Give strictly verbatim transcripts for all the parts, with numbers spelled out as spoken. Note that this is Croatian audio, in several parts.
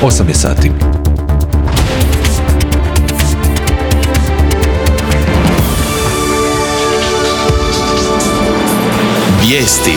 osam je sati. Vijesti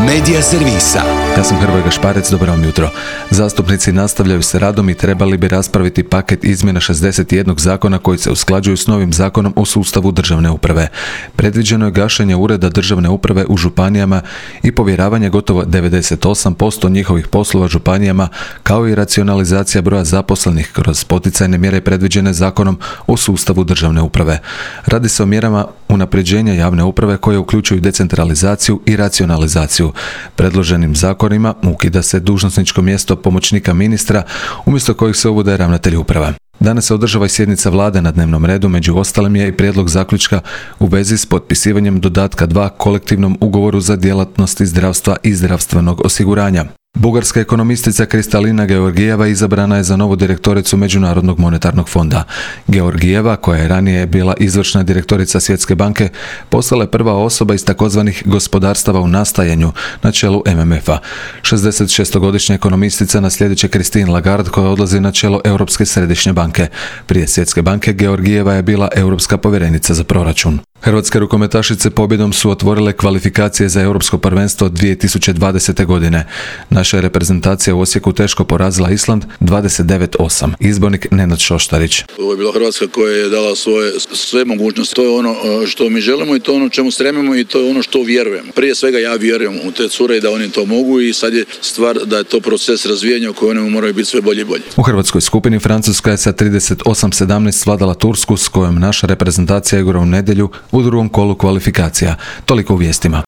Medija servisa. Ja sam Hrvoje Gašparec, dobro vam jutro. Zastupnici nastavljaju s radom i trebali bi raspraviti paket izmjena šezdeset jedan zakona koji se usklađuju s novim zakonom o sustavu državne uprave. Predviđeno je gašenje ureda državne uprave u županijama i povjeravanje gotovo devedeset osam posto njihovih poslova županijama, kao i racionalizacija broja zaposlenih kroz poticajne mjere predviđene zakonom o sustavu državne uprave. Radi se o mjerama unapređenja javne uprave koje uključuju decentralizaciju i racionalizaciju. Predloženim zakonima ukida se dužnosničko mjesto pomoćnika ministra, umjesto kojih se uvode ravnatelji uprava. Danas se održava i sjednica vlade na dnevnom redu, među ostalim je i prijedlog zaključka u vezi s potpisivanjem dodatka dva kolektivnom ugovoru za djelatnosti zdravstva i zdravstvenog osiguranja. Bugarska ekonomistica Kristalina Georgijeva izabrana je za novu direktoricu Međunarodnog monetarnog fonda. Georgijeva, koja je ranije bila izvršna direktorica Svjetske banke, postala je prva osoba iz takozvanih gospodarstava u nastajanju na čelu M M F-a. šezdesetšestogodišnja ekonomistica naslijedit će Christine Lagarde, koja odlazi na čelo Europske središnje banke. Prije Svjetske banke Georgijeva je bila europska povjerenica za proračun. Hrvatske rukometašice pobjedom su otvorile kvalifikacije za Europsko prvenstvo dvije tisuće dvadesete. godine. Naša je reprezentacija u Osijeku teško porazila Island dvadeset devet osam. Izbornik Nenad Šoštarić. Ovo je bila Hrvatska koja je dala svoje, sve mogućnosti. To je ono što mi želimo i to je ono čemu stremimo i to je ono što vjerujemo. Prije svega ja vjerujem u te cure i da oni to mogu i sad je stvar da je to proces razvijanja u kojem moraju biti sve bolje i bolje. U hrvatskoj skupini Francuska je sa trideset osam sedamnaest svladala Tursku, s kojom naša reprezentacija igra u nedjelju u drugom kolu kvalifikacija. Toliko u vijestima.